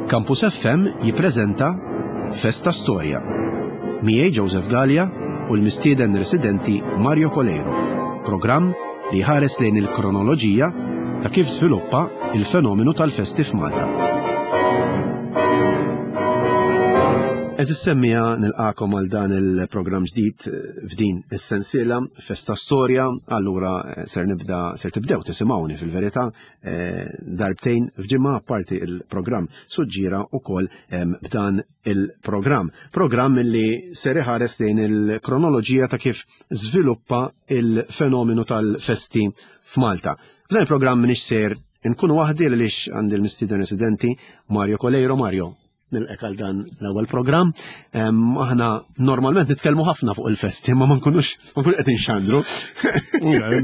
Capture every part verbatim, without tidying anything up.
Campus F M jippreżenta Festa Storja. Miegħi Joseph Gallia u l-mistieden residenti Mario Coleiro. Programm li ħares lejn il-kronoloġija ta' kif żviluppa il-fenomenu tal-festi f'Malta. Għeżież semmiegħa, nilqagħkom għal dan il-programm ġdid f'din is-sensiela Festa Storja. Allura eh, ser nibda, ser tibdew tisimgħuni fil-verità eh, darbtejn f'ġimgħa, apparti il-programm Suġġira ukoll b'dan il-programm. Programm li ser iħares lejn il-kronoloġija ta' kif żviluppa il-fenomenu tal-festi f'Malta. F'dan il-programm m'iniex ser nkunu waħdi għaliex għandi l-mistieden residenti Mario Coleiro. Mario, nilqgħek għal dan l-ewwel programm. Aħna normalment nitkellmu ħafna fuq il-festi, ma ma nkunux ma nkunux qed inxandru.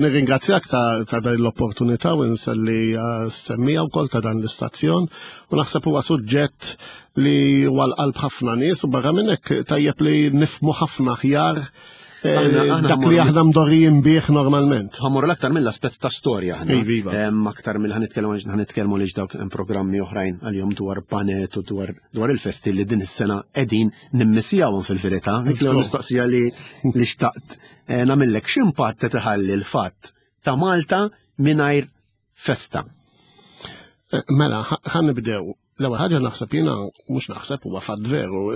Nirringrazzjak ta' dan l-opportunità u nselli semmiegħa wkoll ta' dan l-istazzjon u naħseb huwa suġġett li huwa l-qalb ħafna nies u barra minn hekk tajjeb li nifhmu ħafna aħjar eh, dak li aħna mdorrijin bih normalment. Ħa mmorru l-aktar mill-aspett ta' storja aħna. Iva. Aktar mill ħa nitkellmu li dawk hemm programmi oħrajn għalihom dwar panet u dwar dwar il-festi li din is-sena qegħdin nimmissjawhom fil-verità. Dik l mistoqsija li li xtaqt eh, nagħmellek: x'impatt qed iħalli l-fatt ta' Malta mingħajr festa? Eh, mela, ħa nibdew. L-ewwel ħaġa naħseb jiena, mhux naħseb, huwa fatt veru,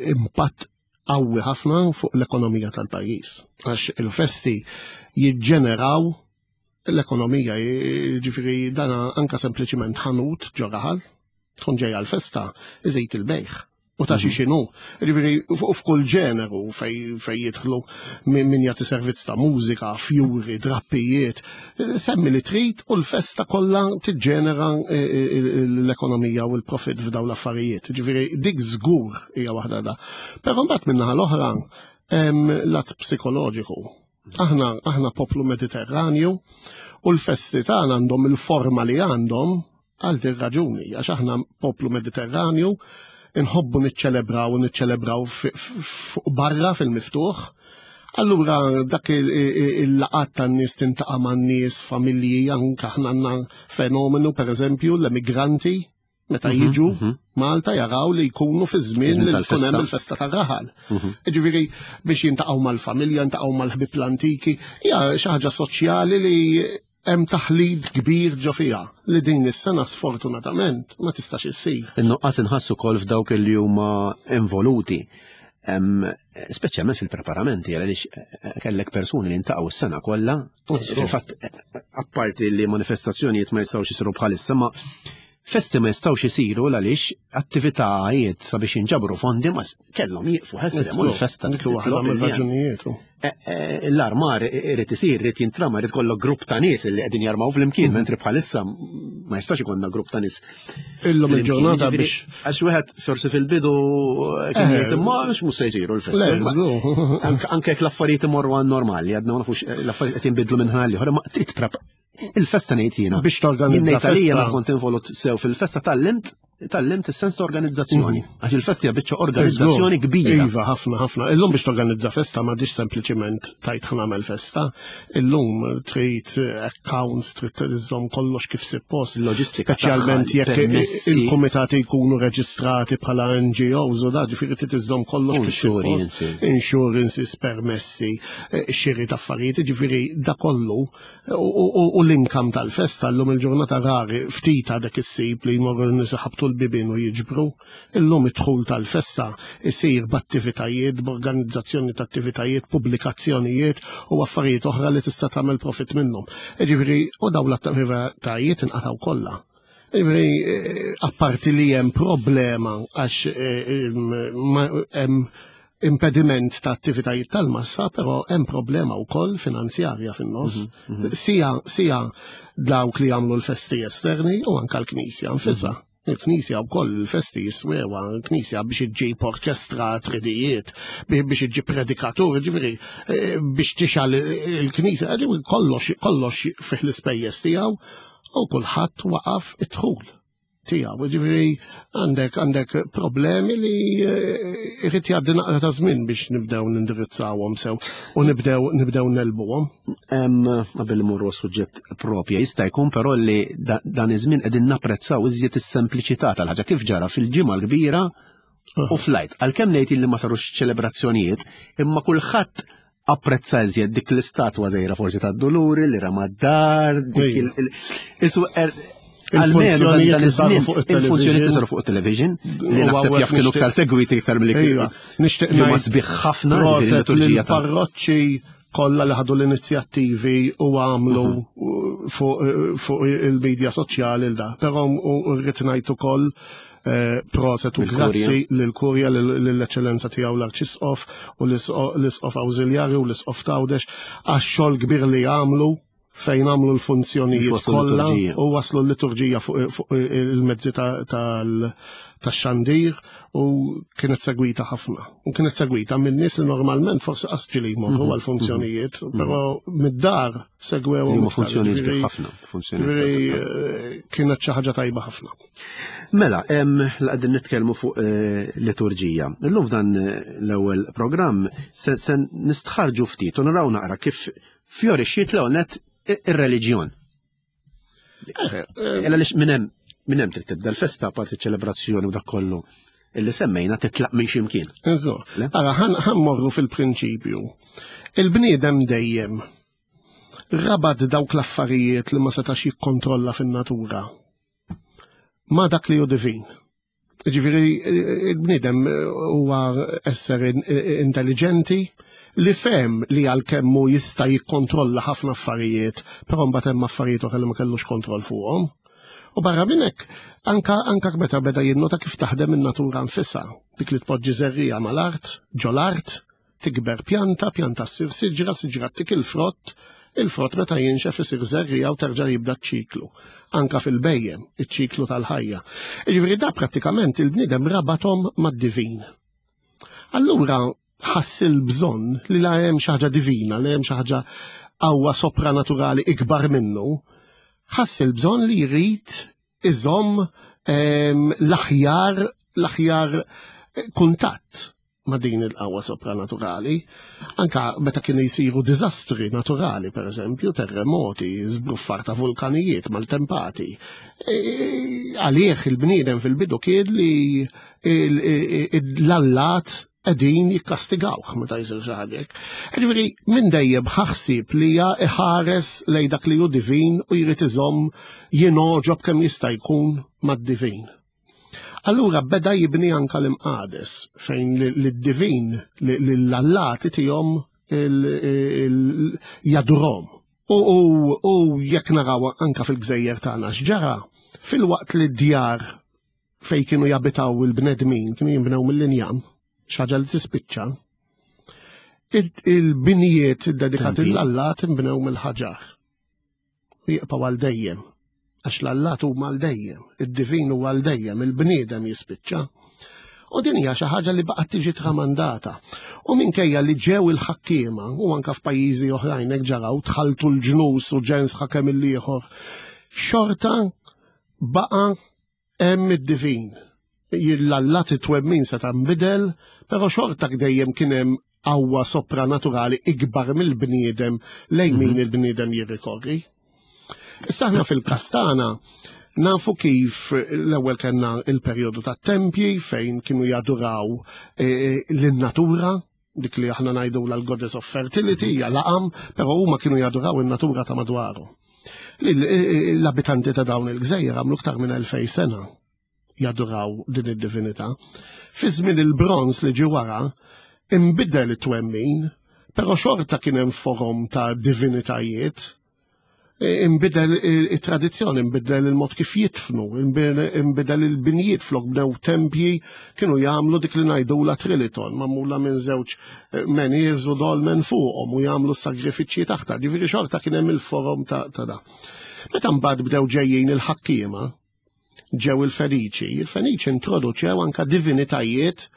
impatt qawwi ħafna fuq l-ekonomija tal-pajjiż. Għax il-festi jiġġeneraw l-ekonomija, ġifieri dana anka sempliċiment ħanut ġo raħal, tkun ġejja l-festa, iżid il-bejgħ. U ta' xi mhm. xinu. Ġifieri f'kull ġeneru fej fej jidħlu min jagħti servizz ta' mużika, fjuri, drappijiet, semmi li trid u l-festa kollha tiġġenera e, e, e, l-ekonomija u l-profit f'daw l-affarijiet. Ġifieri dik żgur hija waħda da. Però mbagħad min-naħa l-oħra lat psikoloġiku. Aħna aħna poplu Mediterranju u l-festi tagħna għandhom il-forma li għandhom għal din raġuni, għax aħna poplu Mediterranju, inħobbu niċċelebraw u niċċelebraw fuq barra fil-miftuħ. Allura dak il-laqgħat tan-nies, tiltaqa' man-nies, familji, anke aħna għandna fenomenu, pereżempju l-emigranti meta mhm, jiġu mhm. Malta jaraw li jkunu fi żmien li jkun hemm il-festa tar-raħal. Mhm. Ġifieri biex jiltaqgħu mal-familja, jiltaqgħu mal-ħbieb l-antiki, hija xi ħaġa soċjali li hemm taħlid kbir ġo fiha li din is-sena sfortunatament ma tistax issir. In-nuqqas inħassu wkoll f'dawk li huma involuti. Speċjalment fil-preparamenti, għaliex eh, eh, kellek persuni li ltaqgħu s-sena kollha. Fil-fatt, eh, apparti li manifestazzjonijiet ma jistgħux isiru bħalissa, ma festi ma jistgħux isiru għaliex attivitajiet sabiex jinġabru fondi ma kellhom jieqfu ħesrem u l-festa. Raġunijiet. Eh, eh, l-armar irid isir, irid jintrama, irid kollok grupp ta' nies li qegħdin jarmaw flimkien, mhm. mentri bħalissa ma jistax ikollna grupp ta' nies. Illum il-ġurnata biex. Għax wieħed forsi fil-bidu kien eh. jgħid imma mhux se jsiru l-festi. Anke jekk l-affarijiet imorru għan normali, għadna ma nafux, l-affarijiet qed jinbidlu minn ħin għal, ma trid prep il-festa, ngħid jiena. Biex torganizza. Jien ma kont involut sew fil-festa, tgħallimt tgħallimt is-sens ta' organizzazzjoni. Mhm. Għax il-festa hija biċċa organizzazzjoni kbira. Iva, ħafna, ħafna. Illum biex torganizza festa m'għadix sempliċiment tgħid ħa nagħmel festa. Illum trid accounts, trid iżżomm kollox kif suppost. Loġistika. Speċjalment jekk il-komitati jkunu reġistrati bħala N G Os u da, ġifieri trid iżżomm kollox kif suppost. Insurances, permessi, eh, xiri ta' affarijiet, ġifieri da kollu u l-income tal-festa llum il-ġurnata rari ftit għadek issib li jmorru n-nies iħabbtu l-bibien u jiġbru. Illum id-dħul tal-festa isir b'attivitajiet, b'organizzazzjoni ta' attivitajiet, pubblikazzjonijiet u affarijiet oħra li tista' tagħmel profit minnhom. Ġifieri u dawn l-attivitajiet inqatgħu kollha. Ġifieri eh, apparti li hemm problema għax eh, hemm impediment ta' attivitajiet tal-massa, però hemm problema wkoll finanzjarja fin-nofs. Mhm, mhm. Sija sija dawk li jagħmlu l-festi esterni u anka l-Knisja nfisha. Mhm. Il-Knisja wkoll il-festi jiswewa, il-Knisja biex iġġib orkestra tridijiet, biex iġġib predikatur, ġifieri eh, biex tixgħel il-Knisja, kollox kollox fih l-ispejjeż tiegħu u kulħadd waqaf id-dħul. tiegħu. Ġifieri għandek għandek problemi li eh, irid jgħaddi naqra ta' żmien biex nibdew nindirizzawhom sew u nibdew nibdew negħlbuhom. Qabel imorru suġġett propja, jista' jkun però li dan iż-żmien qegħdin napprezzaw iżjed is-sempliċità tal-ħaġa kif ġara fil-Ġimgħa l-Kbira u fl-Għid. Għalkemm ngħid li ma sarux ċelebrazzjonijiet, imma kulħadd apprezza iżjed dik l-istatwa żgħira forsi tad-Duluri li rama d-dar, dik il- er, Il-funzjonijiet li saru fuq il-funzjonijiet li saru fuq il-television, li naħseb jaf kienu iktar segwiti iktar milli kienu. Nixtieq li ma sbieħ ħafna liturġija parroċċi kollha li ħadu l-inizjattivi u għamlu mhm. fuq il-medja soċjali l da. Però rrid ngħid ukoll eh, proset u grazzi lill-Kurja, lill-Eċċellenza tiegħu l-Arċisqof u l-Isqof Awżiljarju u l-Isqof t'Għawdex għax-xogħol kbir li għamlu fejn għamlu l-funzjonijiet kollha u waslu l-liturġija fuq il-mezzi tax-xandir u kienet segwita ħafna. U kienet segwita minn nies li normalment forsi qas ġieli jmorru mhm, għal-funzjonijiet, mhm. però mid-dar segwew. Huma funzjonijiet ħafna. Funzjonijiet. Eh, kienet xi ħaġa tajba ħafna. Mela, hemm qegħdin nitkellmu fuq eh, liturġija. Illum f'dan eh, l-ewwel programm se nistħarġu ftit u naraw naqra kif fjorixxiet l net ir-reliġjon. Illa lix minn hemm minn hemm trid tibda l-festa parti ċelebrazzjoni u dak kollu illi semmejna titlaq minn ximkien. Eżo. Ara, ħan morru fil-prinċipju. Il-bniedem dejjem rabat dawk l-affarijiet li ma setax jikkontrolla fin-natura ma dak li hu divin. Ġifieri il-bniedem huwa esser intelligenti li fehem li għalkemm hu jista' jikkontrolla ħafna affarijiet, però mbagħad hemm affarijiet oħra li ma kellux kontroll fuqhom. U barra minn hekk, anka anka meta beda jinnota kif taħdem in-natura nfisha, dik li tpoġġi żerriegħa mal-art, ġol-art, tikber pjanta, pjanta ssir siġra, siġra tik il-frott, il-frott meta jinxef isir żerriegħa u terġa' jibda ċ-ċiklu. Anka fil-bejjem, iċ-ċiklu tal-ħajja. Jiġifieri da prattikament il-bniedem rabathom mad-divin. Allura ħass il-bżonn li la hemm xi ħaġa divina, li hemm xi ħaġa qawwa sopranaturali ikbar minnu, ħass il-bżonn li jrid iżomm ehm, l-aħjar l-aħjar eh, kuntatt ma' din il-qawwa sopranaturali. Anka meta kienu jsiru diżastri naturali, per eżempju, terremoti, żbruffar ta' vulkanijiet, maltempati. E, għalih il-bniedem fil-bidu kien li l-allat qegħdin jikkastigawh meta jsir xi ħaġa hekk. Ġifieri minn dejjem ħassib li hija iħares lejn dak li hu divin u jrid iżomm jingħoġob kemm jista' jkun mad-divin. Allura beda jibni anka l-imqades fejn lid-divin l-allati tihom jadurhom. U jekk naraw anka fil-gżejjer tagħna x'ġara, filwaqt li d-djar fejn kienu jabitaw il-bnedmin kienu jinbnew mill-injam, xi ħaġa li tispiċċa, il-binijiet dedikati l-allat inbnew mill-ħaġar. Jibqgħu għal dejjem. Għax l-allat huma għal dejjem, id-divin huwa għal dejjem, il-bniedem jispiċċa. U din hija xi ħaġa li baqgħet tiġi tramandata. U minkejja li ġew il-ħakkiema u anka f'pajjiżi oħrajn hekk ġaraw tħaltu l-ġnus u ġens ħakem il-ieħor, xorta baqa' hemm id-divin. L-allat it-twemmin se nbidel, però xorta dejjem kien hemm qawwa sopranaturali ikbar mill-bniedem lejn min mhm. il-bniedem jirrikorri. Issa aħna fil-każ tagħna nafu kif l-ewwel kellna il-perjodu tat-tempji fejn kienu jaduraw eh, lin-natura, dik li aħna ngħidu l-goddess of fertility, hija laqam, però huma kienu jaduraw in-natura ta' madwaru. L-abitanti ta' dawn il-gżejjer għamlu iktar minn elfej sena jaduraw din id-divinità. Fi żmien il-bronż li ġi wara, imbidel it-twemmin, però xorta kien hemm forom ta' divinitajiet imbidel it-tradizzjoni, imbidel il-mod kif jitfnu, imbidel il-binjiet flok bnew tempji kienu jagħmlu dik li ngħidula triliton, magħmula minn żewġ eh, menhirs u dolmen fuqhom u jagħmlu sagrifiċċji taħta. Ġifieri xorta kien hemm il-forom ta' da. Meta mbagħad bdew ġejjin il-ħakkiema, ġew il-Feniċi, il-Feniċi introduċew anka divinitajiet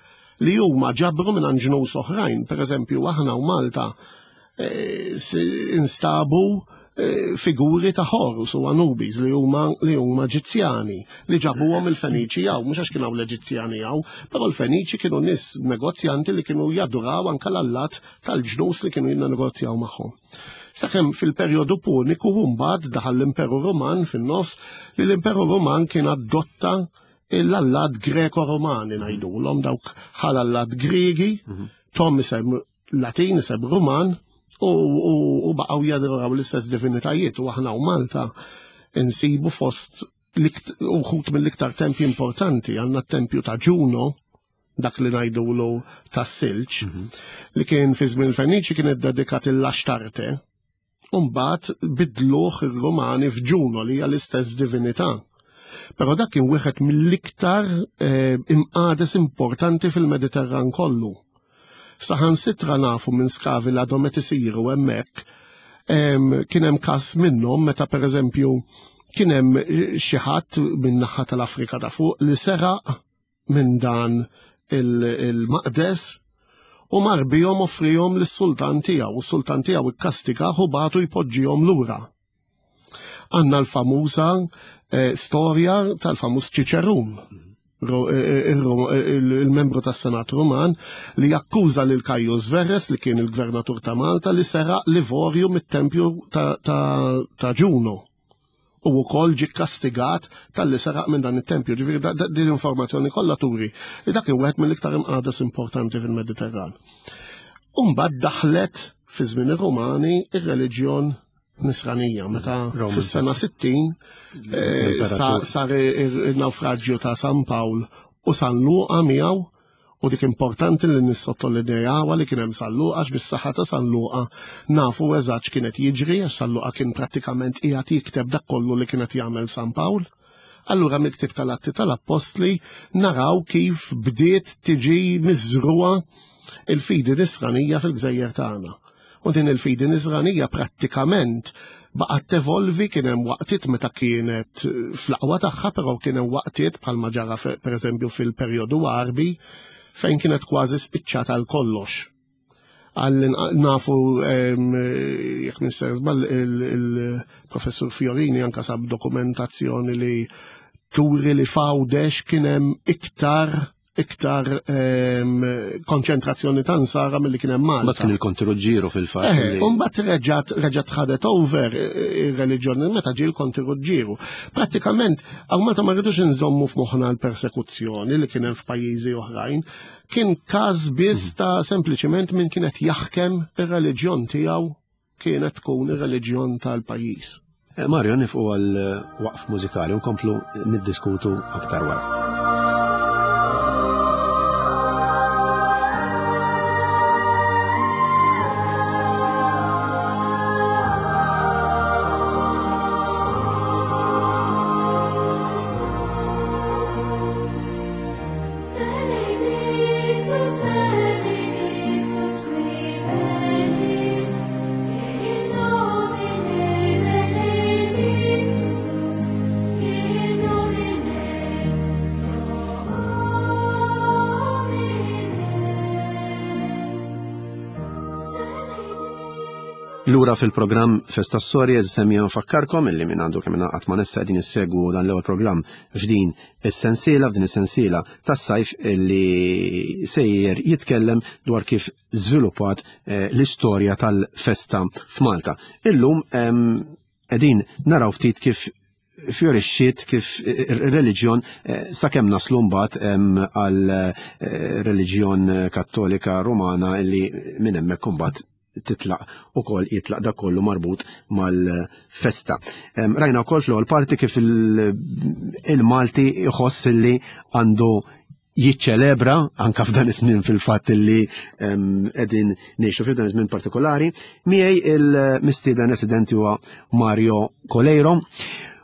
li huma ġabru minn ġnus oħrajn. Per eżempju, aħna u Malta eh, instabu figuri ta' Horus u Anubis li huma li huma Eġizzjani li ġabuhom il-Feniċi hawn, mhux għax kienu l-Eġizzjani hawn, però l-Feniċi kienu nies negozjanti li kienu jaduraw anke l-allat tal-ġnus li kienu jinnegozjaw magħhom. Sakemm fil-perjodu Puniku mbagħad daħal l-Imperu Ruman fin-nofs, li l-Imperu Ruman kien adotta l-allat Greko-Romani ngħidulhom, dawk ħal-allat Griegi, tom isem Latin, isem Ruman, u baqgħu jaduraw l-istess divinitajiet. U aħna u Malta insibu fost uħut mill-iktar tempji importanti, għandna t-tempju ta' Ġuno, dak li ngħidulu tas-silġ, li kien fi żmien il-Feniċi kien iddedikat il-Axtarte, u mbagħad bidluh ir-Rumani f'Ġuno li hija l-istess divinità. Però dak kien wieħed mill-iktar imqades importanti fil-Mediterran kollu. Saħansitra nafu minn skavi li għadhom qed isiru hemmhekk, kien hemm każ minnhom meta pereżempju kien hemm xi ħadd min-naħa tal-Afrika ta' fuq li seraq minn dan il-maqdes u mar bihom offrihom lis-sultan tiegħu, u s-sultan tiegħu ikkastigah u bagħtu jpoġġihom lura. Għandna l-famuża storja tal-famuż Ċiċerun, il-membru tas-Senat Ruman, li jakkuża lil Caius Verres, li kien il-gvernatur ta' Malta, li seraq l-ivorju mit-tempju ta' Ġuno. U wkoll ġie kastigat talli seraq minn dan it-tempju. Ġifieri din l-informazzjoni kollha turi li dak kien wieħed mill-iktar imqades importanti fil-Mediterran. U mbagħad daħlet fi żmien ir-Rumani ir-reliġjon nisranija, meta fis-sena sittin sar il-naufraġġju ta' San Pawl u San Luqa miegħu, u dik importanti li nissottolinjawha li kien hemm San Luqa, għax bis-saħħa ta' San Luqa nafu eżatt x'kienet jiġri, għax San Luqa kien prattikament qiegħed jikteb dak kollu li kienet jagħmel San Pawl. Allura mill-ktieb tal-Atti tal-Appostli naraw kif bdiet tiġi miżruha il-fidi nisranija fil-gżejjer tagħna. U din il-fidi nisranija prattikament baqgħet tevolvi, kien hemm waqtiet meta kienet fl-aqwa tagħha, però kien hemm waqtiet bħalma ġara pereżempju fil-perjodu Għarbi fejn kienet kważi spiċċata għal kollox. Għal nafu, jekk mister żball, il-professur Fiorini anka sab dokumentazzjoni li turi li f'Għawdex kien hemm iktar iktar konċentrazzjoni ta' nsara milli kien hemm Malta. Mbagħad kien il-Konti Ruġġieru fil-fatt. U mbagħad reġgħet reġgħet ħadet over ir-reliġjoni meta ġie l-Konti Ruġġieru. Prattikament hawn Malta ma rridux inżommu f'moħħna l-persekuzzjoni li kien hemm f'pajjiżi oħrajn. Kien każ biss ta' sempliċiment min kienet jaħkem ir-reliġjon tiegħu kienet tkun ir-reliġjon tal-pajjiż. Mario, nifqu għal waqf mużikali u nkomplu niddiskutu aktar wara. Lura fil-programm Festa Storja, semmi nfakkarkom illi minn għandu kemm ingħaqad ma' nessa qegħdin issegwu dan l-ewwel programm f'din is-sensiela, f'din is-sensiela tas-sajf illi sejjer jitkellem dwar kif żviluppat l-istorja tal-festa f'Malta. Illum qegħdin naraw ftit kif fjorixxiet, kif ir-reliġjon sakemm naslu mbagħad għal reliġjon Kattolika Rumana illi minn hemmhekk imbagħad titlaq ukoll jitlaq dak kollu marbut mal-festa. Rajna wkoll fl-ewwel parti kif il-Malti jħoss li għandu jiċċelebra anka f'dan iż-żmien fil-fatt li qegħdin ngħixu f'dan iż-żmien partikolari. Miegħi il-mistieden residenti huwa Mario Coleiro.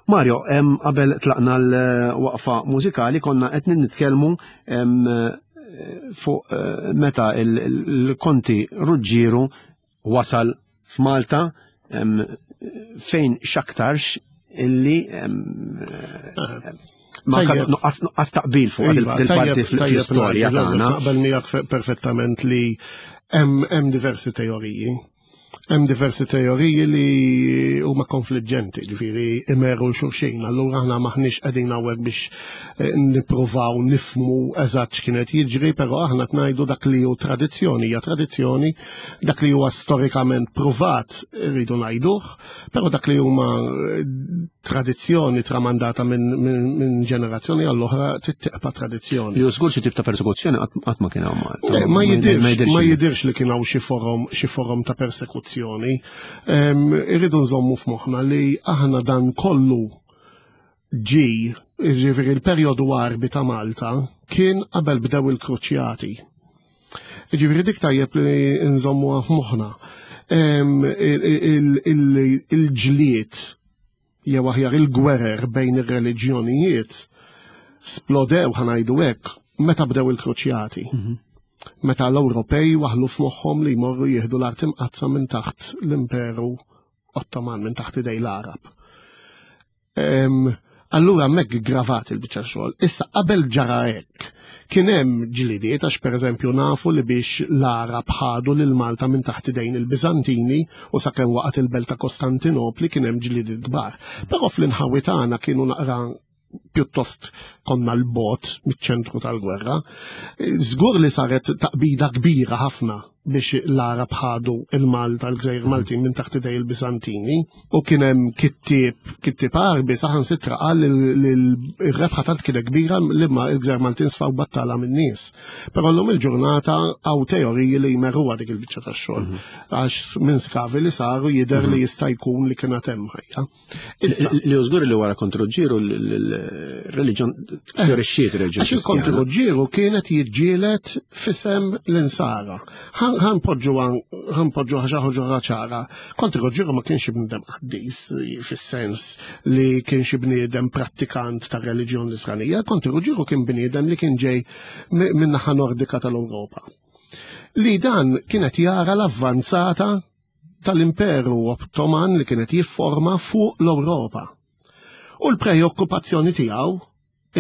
Mario, qabel tlaqna l-waqfa mużikali konna qed nitkellmu fuq meta il-Konti Ruġġieru wasal f'Malta fejn x'aktarx illi ma nuqqas taqbil fuq il-parti fl-istorja tagħna. Naqbel miegħek perfettament li hemm diversi teoriji. Hemm diversi teoriji li huma konfliġġenti, ġifieri imeru xulxin. Allura aħna maħniex qegħdin hawnhekk biex eh, nippruvaw nifmu eżatt x'kienet jiġri, però aħna ngħidu dak li hu tradizzjoni, hija tradizzjoni, dak li huwa storikament pruvat rridu ngħiduh, però dak li huma eh, tradizzjoni tramandata minn min, min ġenerazzjoni għall-oħra tibqa' tradizzjoni. Li żgur xi tip ta' persekuzzjoni qatt ma kien hawn Malta. Ma jidirx, ma jidirx li kien hawn xi forom xi forom ta' persekuzzjoni. Irridu nżommu f'moħħna li aħna dan kollu ġi, jiġifieri il-perjodu Għarbi ta' Malta kien qabel bdew il-kruċjati. Jiġifieri dik tajjeb li nżommuha f'moħħna. Il-ġlied jew aħjar il-gwerer bejn ir-reliġjonijiet splodew ħa ngħidu hekk meta bdew il-kruċjati. Mhm. Meta l-Ewropej waħlu f'moħħhom li jmorru jieħdu l-art imqaddsa minn taħt l-Imperu Ottoman, minn taħt idej l-Arab. Allura hemmhekk gravat il-biċċa xogħol. Issa qabel ġara hekk, kien hemm ġlidiet għax pereżempju nafu li biex l-Arab ħadu lil Malta minn taħt idejn il-Biżantini u sakemm waqgħet il-belt ta' Kostantinopli kien hemm ġlidiet kbar. Però fl-inħawi tagħna kienu naqra pjuttost konna l-bot miċ-ċentru tal-gwerra. Żgur li saret taqbida kbira ħafna biex l-Arab ħadu il-Malta, l-Gżejjer Maltin minn taħt idej il-Biżantini u kien hemm kittieb, kittieb Għarbi saħansitra qal li r-rebħa tant kienet kbira li ma l-Gżejjer Maltin sfaw battala min-nies. Però llum il-ġurnata hawn teoriji li jmerruha dik il-biċċa tax-xogħol. Mhm. Għax minn skavi li saru jidher li mhm. jista' jkun li kienet hemm ħajja. Issa li żgur li wara Konti Ruġġieru l-reliġjon eh, fjorixxiet reliġjon. Għax il-Konti Ruġġieru kienet jiġġieled fisem l-insara. Ħanpoġġu ħanpoġġu ħaġa ħoġra ċara. Konti Ruġġieru ma kienx bniedem qaddis fis-sens li kien xi bniedem prattikant ta' reliġjon nisranija. Konti Ruġġieru kien bniedem li kien ġej minn naħa nordika tal-Ewropa. Li dan kienet jara l-avvanzata tal-Imperu Ottoman li kienet jifforma fuq l-Ewropa. U l-preokkupazzjoni tiegħu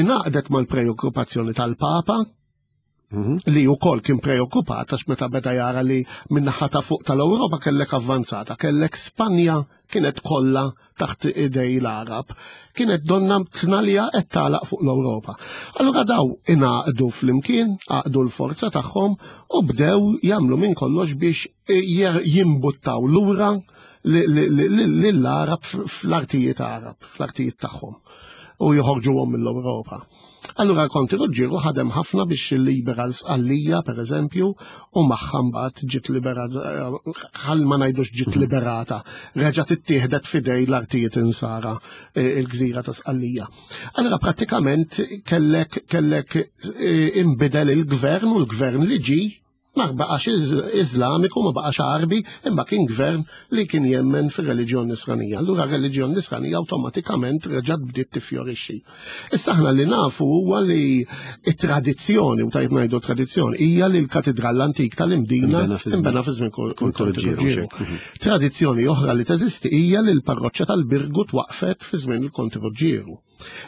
ingħaqdet mal-preokkupazzjoni tal-Papa mhm. li wkoll kien preokkupat għax meta beda jara li min-naħa ta' fuq tal-Ewropa kellek avvanzata, kellek Spanja kienet kollha taħt idej l-Arab, kienet donna tnalja qed tagħlaq fuq l-Ewropa. Allura daw ingħaqdu flimkien, għaqdu l-forza tagħhom u bdew jagħmlu minn kollox biex jimbuttaw lura lill-Arab fl-artijiet Arab, fl-artijiet tagħhom u joħorġuhom mill-Ewropa. Allura Konti Ruġġieru ħadem ħafna biex libera l-Sqallija, per eżempju, u magħha mbagħad ġiet liberata, ħal ma ngħidux ġiet mhm. liberata, reġgħet ittieħdet fidej l-artijiet insara eh, il-gżira ta' Sqallija. Allura prattikament kellek kellek eh, imbidel il-gvern u l-gvern li ġi ma baqax Iżlamiku, ma baqax Għarbi, imma kien gvern li kien jemmen fir-reliġjon Nisranija. Allura r-reliġjon Nisranija awtomatikament reġgħet bdiet tiffjorixxi. Issa aħna li nafu huwa li t-tradizzjoni, u tajjeb ngħidu tradizzjoni, hija li l-katidral l-antik tal-Imdina inbena fi żmien Konti Ruġġieru. Tradizzjoni oħra li teżisti hija li l-parroċċa tal-Birgu twaqfet fi żmien il-Konti Ruġġieru.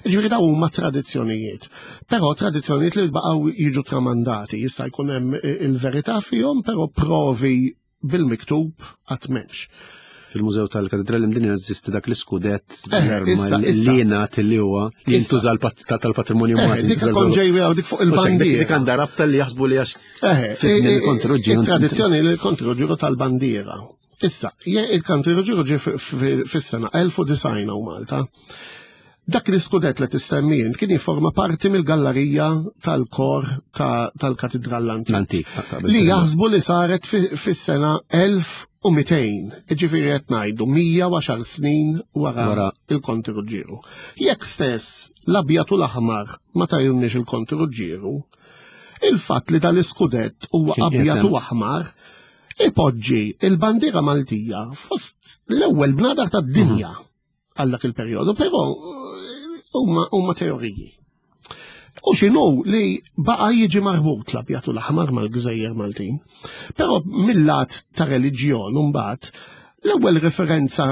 Ġifieri dawn huma tradizzjonijiet. Però tradizzjonijiet li baqgħu jiġu tramandati, jista' jkun hemm il-verità fihom, però provi bil-miktub qatt m'hemmx. Fil-Mużew tal-Katedral Imdini jeżisti dak l-iskudett eh, li jingħad li huwa li jintuża tal-patrimonju eh, Malti. Dik kont ġej dik fuq il-bandiera. Dik għandha rabta li jaħsbu li għax eh, fi żmien il-Konti Tradizzjoni li l-Konti Ruġġieru tal-bandiera. Issa, il-Konti Ruġġieru ġie fis-sena elf u disgħin hawn Malta. Dak l-iskudett li tissemmi int kien jifforma parti mill-gallarija tal-kor tal-Katidral l-Antik. Li jaħsbu li saret fis-sena elf u mitejn, jiġifieri qed ngħidu mija u għaxar snin wara il-Konti Ruġġieru. Jekk stess l-abjad u l-aħmar ma tajunniex il-Konti Ruġġieru, il-fatt li dal-iskudett huwa abjad u aħmar ipoġġi il-bandiera Maltija fost l-ewwel bnadar tad-dinja. Mhm. Għal dak il-perjodu, però huma huma teoriji. U x'inhu li baqa' jiġi marbut l-abjad u l-aħmar mal-gżejjer Maltin. Però mill-lat ta' reliġjon mbagħad l-ewwel referenza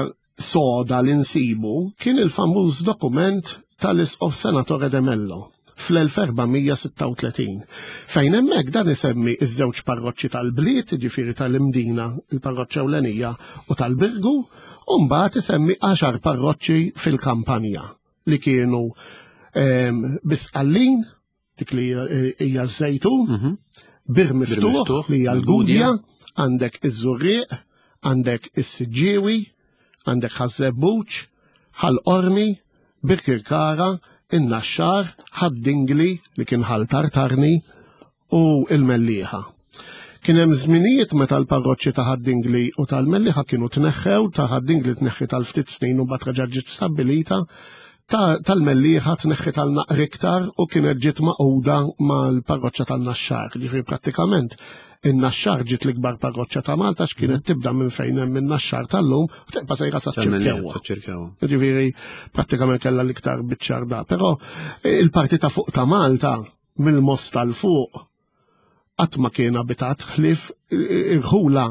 soda li nsibu kien il-famuż dokument tal-Isqof Senatore de Mello fl-elf erba' mija sitta u tletin. Fejn hemmhekk dan isemmi iż-żewġ parroċċi tal-bliet, ġifieri tal-Imdina, il-parroċċa ewlenija, u tal-Birgu, u mbagħad isemmi għaxar parroċċi fil-kampanja li kienu, ehm, Bisqallin, dik li hija ż-Żejtun, Mhm. Bir Miftuħ, Bir Miftuħ, li hija l-Gudja, l-Gudja. għandek iż-Żurrieq, għandek is-Siġġiewi, għandek Ħaż-Żebbuġ, Ħal Qormi, Birkirkara, in-Naxxar, Ħad-Dingli li kien Ħal Tartarni u il-Mellieħa. Kien hemm żminijiet meta l-parroċċi ta' Ħad-Dingli u tal-Mellieħa kienu tneħħew, ta' Ħad-Dingli tneħħi tal-ftit snin u mbagħad reġgħet ġiet stabbilita, ta' tal-Mellieħa tneħħi tal-naqra iktar u kienet ġiet maquda mal-parroċċa tan-Naxxar. Ġifieri prattikament in-Naxxar ġiet l-ikbar parroċċa ta' Malta x'kienet tibda minn fejn hemm in-Naxxar tal-lum u tibqa' sejra sa Tal-Mellieħa, ċirkewwa. ċirkewwa. Ġifieri prattikament kellha l-iktar biċċar da. Però il-parti ta' fuq ta' Malta mill-Mosta l fuq qatt ma kien abitat ħlief irħula,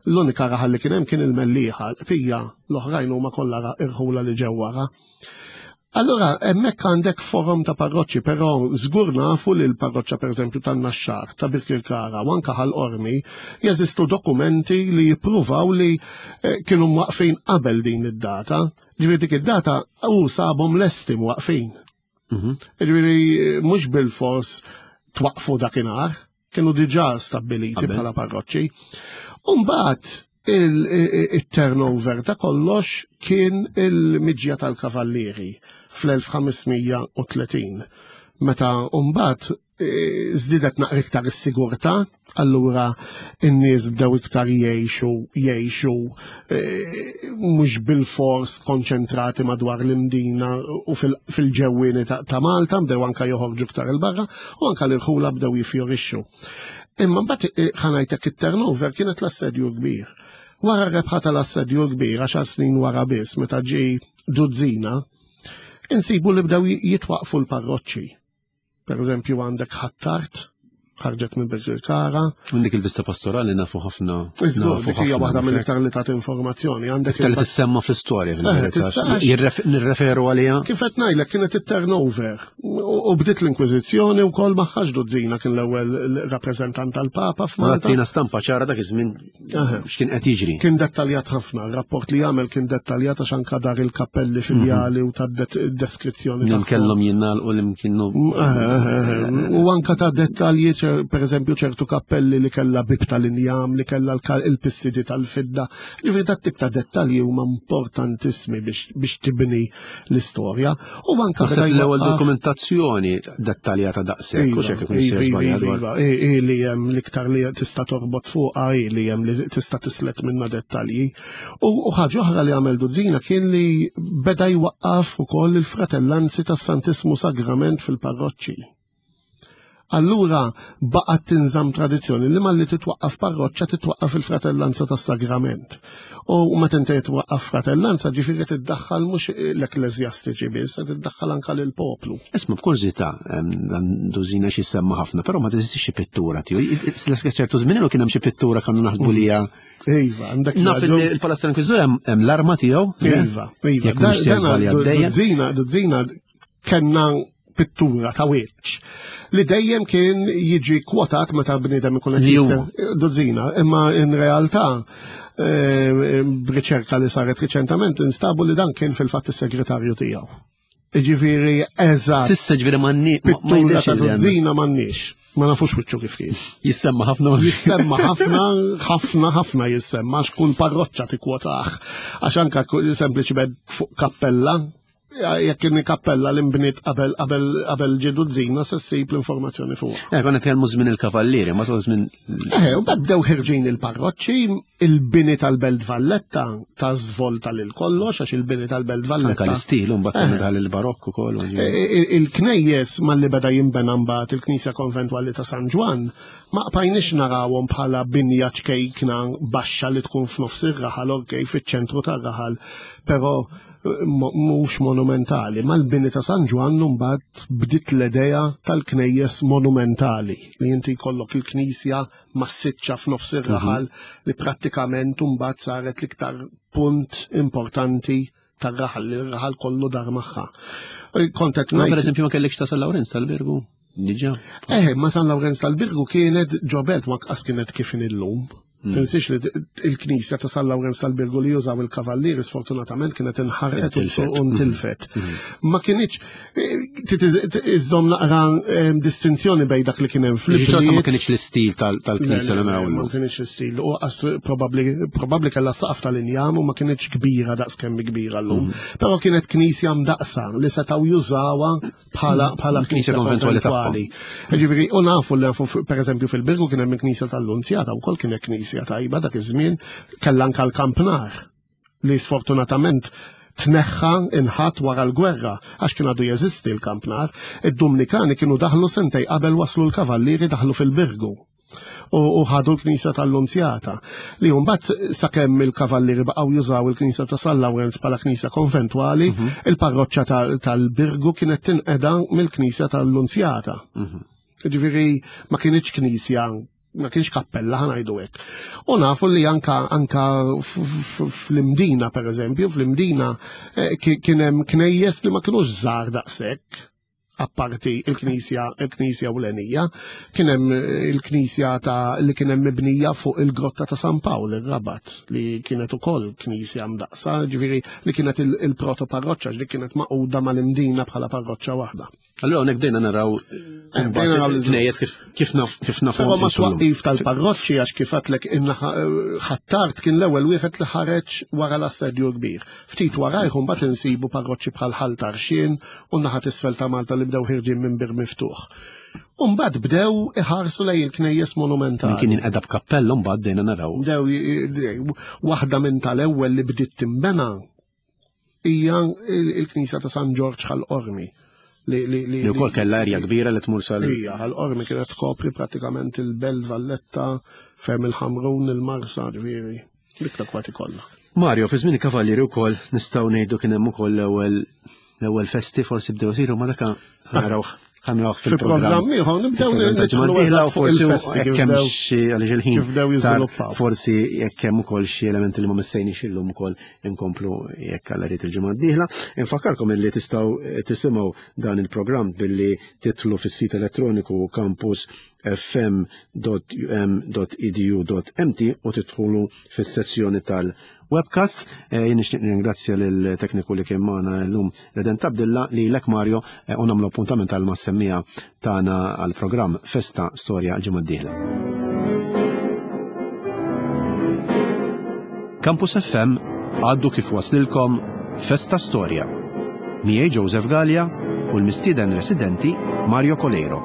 l-unika raħal li kien hemm kien il-Mellieħa, fija l-oħrajn huma kollha ra-, irħula li ġew wara. Allora, hemmhekk għandek forum ta' parroċċi, però żgur nafu li l-parroċċa pereżempju tan-Naxxar, ta' Birkirkara u anke Ħal Qormi jeżistu dokumenti li jippruvaw li, eh, kienu mwaqfin qabel din id-data. Ġifieri dik id-data u sabhom lesti mwaqfin. Mhm. Ġifieri mhux bil-fors twaqfu dakinhar, kienu diġà stabbiliti Qabel. bħala parroċċi. U mbagħad il-turnover ta' kollox kien il-miġja tal-kavallieri fl-elf ħames mija u tletin. Meta mbagħad, eh, żdiedet naqra iktar is-sigurtà, allura n-nies bdew iktar jgħixu, jgħixu, eh, mhux bil-fors konċentrati madwar l-Imdina u fil-, fil-ġewwieni ta', ta' Malta, bdew anka joħorġu iktar il-barra u anka l-irħula bdew jifjorixxu. Imma mbagħad, eh, ħanajtek it-turnover kienet l-assedju kbir. Wara r-rebħa tal-assedju kbir, għaxar snin wara biss, meta ġie Duzzina, insibu li bdew jitwaqfu l-parroċċi. Per eżempju għandek Ħ'Attard, ħarġet minn Birkirkara. Minn dik il-vista pastorali nafu ħafna. Iżgur, nafu dik hija ħafna waħda minn mill-iktar li tagħti informazzjoni. Għandek Iktar li il-pa- tissemma fl-istorja, Eh, fil-verità. tista' Jirref-, nirreferu għaliha. Kif qed ngħidlek kienet it-turnover. U, u bdiet l-Inkwiżizzjoni wkoll magħha Duzzina kien l-ewwel rappreżentant tal-Papa f'Malta. Tina stampa ċara dak iż-żmien Aha. x'kien qed jiġri. Kien dettaljat ħafna, il-rapport li għamel kien dettaljat għax anka dar il-kappelli filjali u ta' det-, deskrizzjoni Li tagħhom. kellhom jingħalqu li kienu Eh, eh, eh, U anka ta' dettalji, ċer-, per eżempju, ċertu kappelli li kellha bib tal-injam, li kellha l-ka-, il-pissidi tal-fidda. Ġifieri dat tip ta' dettalji huma importantissimi biex, biex tibni l-istorja. U anka Naħseb beda l-ewwel jwaqqaf dokumentazzjoni dettaljata daqshekk, u Iva, x'hekk ikun sejjer iva, żbaljat iva, dwar. iva. I, i li hemm l-iktar li tista' torbot fuqha, i li hemm li tista' tislet minna dettalji. U, u ħaġa oħra li għamel Duzzina kien li beda jwaqqaf ukoll il-fratellanzi tas-Santismu Sagrament fil-parroċċi. Allura baqgħet tinżamm tradizzjoni li malli titwaqqaf parroċċa titwaqqaf il-fratellanza tas-Sagrament. U meta inti twaqqaf fratellanza ġifieri tiddaħħal mhux l-ekkleżjastiċi biss, tiddaħħal anke lill-poplu. Isma' b'kurżità, em, dan Duzzina xi semma ħafna, però ma teżistix xi pittura tiegħu. I-, i-, Ċertu żmien ilu kien hemm xi pittura kienu naħsbu li hija Iva, għandek Naf raġun. li il-Palazz tal-Inkwiżitur hemm, hemm l-arma tiegħu. Iva, iva. Jekk mhux se Da-, dana żbaljat du-, dejjem. Duzzina, Duzzina kellna pittura ta' wiċċ li dejjem kien jiġi kwotat meta bniedem ikun qed Li hu. jitkellem. Duzzina, imma in realtà, eh, b'riċerka li saret riċentament instabu li dan kien fil-fatt is-segretarju tiegħu. Jiġifieri eżatt. Sissa ġifieri m'għandni-, ma-, ma Pittura jidhirx ta' li għandna. Duzzina m'għandniex. Ma nafux wiċċu kif kien. Jissemma ħafna. Jissemma ħafna, ħafna, ħafna jissemma, għax kull parroċċa tikkwotah. Għax anka ku-, sempliċiment fuq kappella, jekk kien kappella li nbniet qabel, qabel, qabel ġie Duzzina, se ssib l-informazzjoni fuq. Eh, konna nitkellmu żmien il-kavallieri, ma tul żmien Eh, u bad bdew ħirġin il-parroċċi, il-bini tal-Belt Valletta ta' żvolta lil kollox, għax il-bini tal-Belt Valletta. Anka l-istil, u mbagħad Eh. daħal il-barokk ukoll, u ġifieri. Eh, eh, il-knejjes malli beda jinbena mbagħad il-Knisja Konventwali ta' San Ġwann, ma qbajniex narawhom bħala binja ċkejkna baxxa li tkun f'nofs ir-raħal, okej, fiċ-ċentru tar-raħal, però mo-, mhux monumentali. Mal-bini ta' San Ġwann mbagħad bdiet l-idea tal-knejjes monumentali li inti jkollok il-knisja massiċċa f'nofs ir-raħal Mhm. li prattikament mbagħad saret l-iktar punt importanti tar-raħal li r-raħal kollu dar magħha. Kont qed Ma ngħid per eżempju ma kellekx ta' San Lawrenz tal-Birgu? Diġà. Eh, ma San Lawrenz tal-Birgu kienet ġo belt ma qas kienet kif illum. Tinsiex li il-knisja ta' San Lawrenz tal-Birgu li jużaw il-kavallieri sfortunatament kienet inħarqet u Intilfet. u ntilfet. Ma kienx iżżomm naqra eh, distinzjoni bejn dak li kien hemm Xorta ma fl-ibliet. kienx l-istil tal- tal-knisja li naraw Ma illum. kienx l-istil. U qas probabbli probabbli kellha saqaf tal-injam u ma kienx kbira daqs kemm kbira llum. Però kienet knisja mdaqsa li setgħu jużawha bħala bħala Knisja knisja konventwali konventwali. Ġifieri, u nafu li nafu pereżempju fil-Birgu kien hemm il-knisja tal-Lunzjata wkoll kienet knisja tajba dak iż-żmien kellha anke l-kampnar li sfortunatament tneħħa inħat wara l-gwerra għax kien għadu jeżisti l-kampnar. Id-Dumnikani kienu daħlu sentej qabel waslu l-kavallieri daħlu fil-Birgu u u ħadu l-Knisja tal-Lunzjata. Li mbagħad sakemm il-kavallieri baqgħu jużaw il-Knisja ta' San Lawrenz bħala knisja konventwali, il-parroċċa tal- tal-Birgu kienet tinqeda mill-Knisja tal-Lunzjata. Ġifieri ma kienx knisja ma kienx kappella ħa ngħidu hekk. U nafu li anka anka f- f- fl-Imdina per eżempju, fl-Imdina eh, ki- kien hemm knejjes li ma kienux żgħar daqshekk apparti il-knisja il-knisja ewlenija, kien hemm il-knisja ta' li kien hemm mibnija fuq il-grotta ta' San Pawl ir-Rabat li kienet ukoll knisja mdaqsa, ġifieri li kienet il- il-proto parroċċa li kienet maquda mal-Imdina bħala parroċċa waħda. Allura hawnhekk bdejna naraw Eh, bdejna naraw l-iżvilupp. knejjes kif kif naf kif nafu Però ma twaqqif tal-parroċċi għax kif għedtlek inna Ħ'Attard kien l-ewwel wieħed li ħareġ wara l-assedju kbir. Ftit warajh mbagħad insibu parroċċi bħal Ħal Tarxien u naħa t'isfel ta' Malta li bdew ħirġin minn bir miftuħ. U mbagħad bdew iħarsu lejn il-knejjes monumentali. Min kien jinqeda b'kappella mbagħad bdejna naraw. Bdew j- waħda minn tal-ewwel li bdiet timbena hija il-Knisja ta' San Ġorġ Ħal Qormi. Li li li Li wkoll kellha erja kbira li tmur sal. Ija, Ħal Qormi kienet tkopri pratikament il-Belt Valletta, ferm il-Ħamrun, il-Marsa, ġifieri, dik l-akwati kollha. Mario, fi żmien il-kavallieri wkoll nistgħu ngħidu kien hemm ukoll l-ewwel l-ewwel festi forsi bdew isiru ma dak ħa narawh ħa narawh Fi programm ieħor nibdew nidħlu eżatt fuq il-festi kif Jekk hemm bdew xi għaliex il-ħin kif bdew sar, jiżviluppaw. Forsi jekk hemm ukoll xi elementi li ma missejniex illum ukoll inkomplu jekk Alla jrid il-ġimgħa d-dieħla. Infakkarkom illi tistgħu tisimgħu dan il-programm billi tidħlu fis-sit elettroniku campus f m dot u m dot e d u dot m t u tidħlu fis-sezzjoni tal-webcast. Eh, Jien nixtieq nirringrazzja lill-tekniku li kien magħna llum Redent Abdilla li lek Mario eh, u nagħmlu appuntament għal mas-semmiegħa tagħna għall-programm Festa Storja l-ġimgħa d-dieħla. Campus F M għaddu kif waslilkom Festa Storja. Miegħi Joseph Gallia u l-mistieden residenti Mario Coleiro.